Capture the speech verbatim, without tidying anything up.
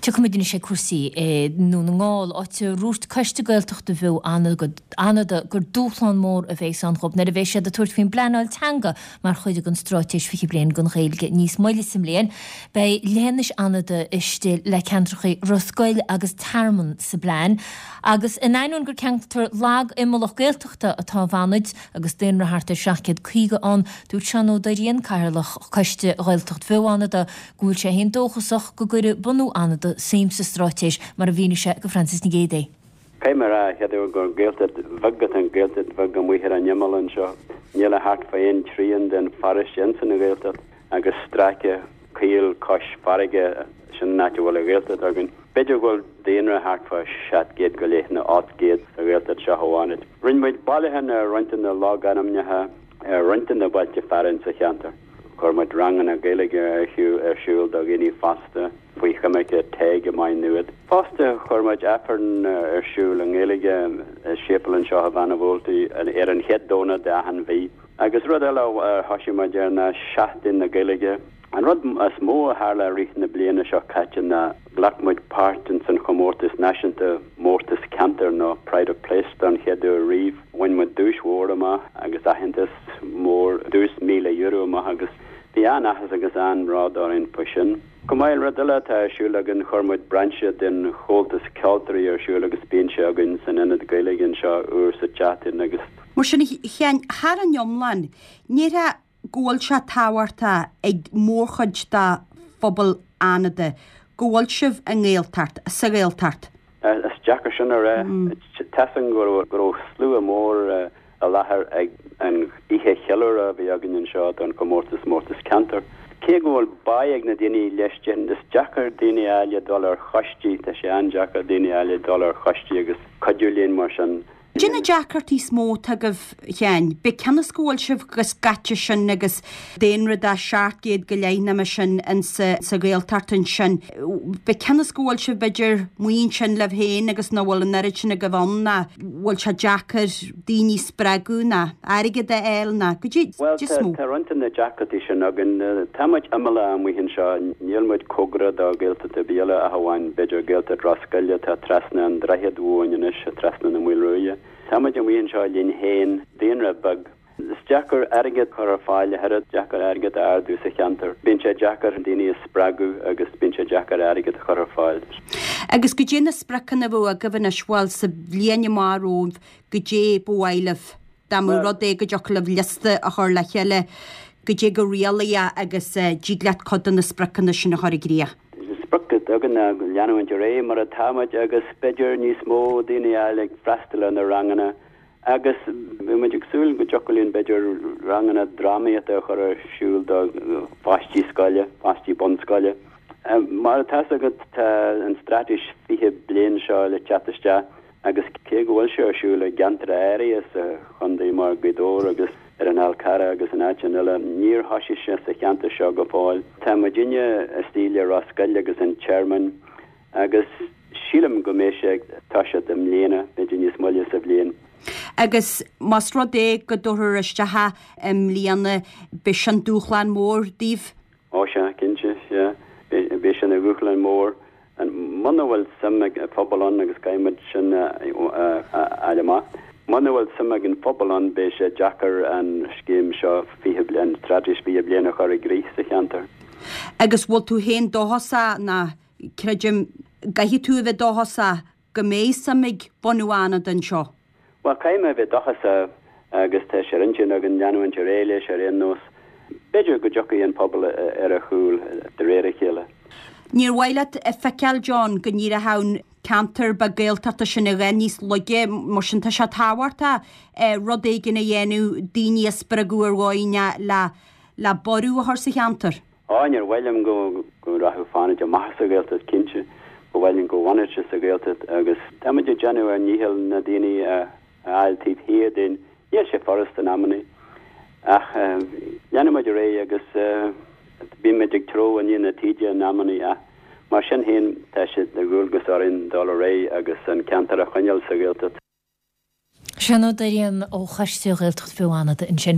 Tiocfaimid anois ag cúrsaí i nDún na nGall, áit a ndúirt Coiste Gaeltachta Bheo Fhánada gur dúshlán mór a bheas ann dhóibh nuair a bheidh siad ag tabhairt faoin bpleanáil teanga mar chuid den Straitéis fiche Bliain don Ghaeilge níos moille sa mbliain. Beidh leithinis Fhánada istigh le ceantracha Ros Goill agus Tearmann sa bplean. Agus in ainneoin gur ceantar lag imeallach Gaeltachta atá i bhFánaid agus daonra thart ar seacht gcéad caoga ann, dúirt Seán Ó Doirín, Cathaoirleach Choiste Ghaeltacht Bheo Fhánada, go bhfuil sé féin dóchasach go gcuirfidh bunú Fhánada suim sa straitéis, mar a mhínigh sé go Frances Nic Géadaigh. Caithfidh mé a rá, chéad uair gur Gaeltacht bheag atá an Gaeltacht bheag amuigh ar an imeall anseo. Níl ach thart fá aon trian den pharóiste insan Ghaeltacht agus stráice caol cois farraige, sin an áit a bhfuil an Ghaeltacht againn. B'fhéidir go bhfuil daonra thart fá seacht gcéad go leith nó ocht gcéad sa Ghaeltacht seo amháin. Rinne muid bailiúchán ar roinnt de na logainmneacha ar roinnt de na bailte fearainn sa cheantar. Chuir muid ranganna Gaeilge ar ar siúl do dhaoine fásta faoi choimirce TEG i Maigh Nuad. Fosta chuir muid Aifreann ar siúl i nGaeilge i séipéal anseo i Bheanna Bhualtaí ar an chéad Domhnach d'achan mhí. Agus rud eile a thosaigh muid air ná Seachtain na Gaeilge. An rud is mó a tharla i rith na bliana seo caite ná ghlac muid páirt ins an chomórtas náisiúnta Mórtas Ceantair nó Pride of Place don chéad uair riamh. Bhain muid duais mhór amach agus aitheantas mór, duais míle euro amach agus bhí an-áthas agus an-bhród orainn faoi sin. Chomh maith, rud eile atá ar siúl againn, chuir muid brainse den Chomhaltas Ceoltóirí ar siúl agus bíonn sé againn san Ionad Gaeilge anseo uair sa tseachtain agus. Mar sin, a Sheáin, thar an iomlán, ní go bhfuil sé tábhachtach ag mórchuid de phobal Fhánada go bhfuil sibh i nGaeltacht, sa Ghaeltacht. Is deacair sin a rá. Tá 'fhios agam go raibh slua mór i láthair ag an oíche cheiliúrtha a bhí againn anseo don chomórtas Mórtas Ceantair. Cé go bhfuil báidh ag na daoine leis, is deacair daoine a fháil le dul ar choistí, tá sé an-deacair daoine a fháil le dul ar choistí agus cuidiú linn mar sin. Cad é na deacrachtaí is mó atá agaibh, a Sheáin, b'é cionn is go bhfuil sibh chomh scaite sin agus daonra de seacht gcéad go leith nó mar sin insa sa Ghaeltacht ansin, b'é cionn is go bhfuil sibh b'fhéidir amuigh ansin libh féin agus nach bhfuil an oiread sin agaibh ann ná bhfuil sé deacair daoine a spreagadh ná airgead a fháil ná cad é Bhuel, is mó. tá roinnt de na deacrachtaí sin againn. Tá muid imeallach amuigh anseo, níl muid cóngarach do Ghaeltacht ar bith eile ach amháin b'fhéidir Gaeltacht Ros Goill atá trasna an droichead uainn anois, trasna na Maoilruaidhe. Tá muid amuigh anseo linn féin, daonra beag. Is deacair airgead a chur ar fáil, a thuilleadh, deacair airgead a ardú sa cheantar. Bíonn sé deacair daoine a spreagadh agus bíonn sé deacair airgead a chur ar fáil. Agus cad é na spriocanna a bheadh agaibh anois, bhuel, sa bhliain amach romhaibh, cad é ba mhaith libh, dá mba rud é go dtiocfadh libh liosta a chur le chéile, cad é go réalaíoch agus dtig leat cuid de na spriocanna sin a chur i gcrích? Sprioc atá againn ná leanúint ar aghaidh mar atá muid agus b'fhéidir níos mó daoine a fháil ag freastal ar na ranganna agus bhí muid ag súil go dtiocfadh linn b'fhéidir ranganna drámaíochta a chur ar siúl do pháistí scoile, páistí bunscoile. Mar atá 'fhios agat tá an straitéis fiche bliain seo le teacht isteach agus cé go bhfuil sé ar siúl i gceantair áirithe sa chontae mar Ghaoth Dobhair agus ar an Fhál Carrach agus in áiteanna eile, níor thosaigh sé sa cheantar seo go fóill. Tá muidinne istigh le Ros Goill agus an Tearmann agus sílim go mbeidh sé ag toiseacht i mbliana, b'fhéidir níos moille sa bhliain. Agus más rud é go dtabharfar isteach é i mbliana, beidh sin dúshlán mór daoibh? Ó sea, cinnte, sea. Beidh sin ina dhúshlán mór. Muna bhfuil suim ag an phobal ann agus caithfidh muid sin a fháil amach, muna bhfuil suim ag an phobal ann beidh sé deacair an scéim seo fiche bliain, straitéis fiche bliain a chur i gcrích sa cheantar. Agus bhfuil tú féin dóchasach, ná creidim go gcaithfidh tú a bheith dóchasach, go mbeidh suim ag bunadh Fhánada anseo? Bhuel, caithfidh mé a bheith dóchasach agus tá sé ar intinn againn leanúint ar aghaidh leis ar aon nós. B'fhéidir go dtiocfaidh an pobal ar a chúl de réir a chéile. Níor mhaith leat a feiceáil, John, go n-éireodh an ceantar beag Gaeltachta sin a dhath níos laige, mar sin tá sé tábhachtach rud éigin a dhéanamh, daoine a spreagadh ar dhóigh le le borradh a chur sa cheantar. Á, níor mhaith liom go go rachadh Fánaid amach as an Ghaeltacht, cinnte. Ba mhaith linn go bhfanfadh sé sa Ghaeltacht agus tá muid ag déanamh ár ndícheall na daoine a fháil taobh thiar dínn. Níl sé furast in amannaí ach leanfaidh muid ar aghaidh agus bíonn muid ag treabhadh i ndiaidh na taoide in amannaí ach mar sin féin tá sé de dhualgas orainn dul ar aghaidh agus an ceantar a choinneáil sa Ghaeltacht. Seán Ó Doirín ó Choiste Ghaeltacht Bheo Fhánada ansin.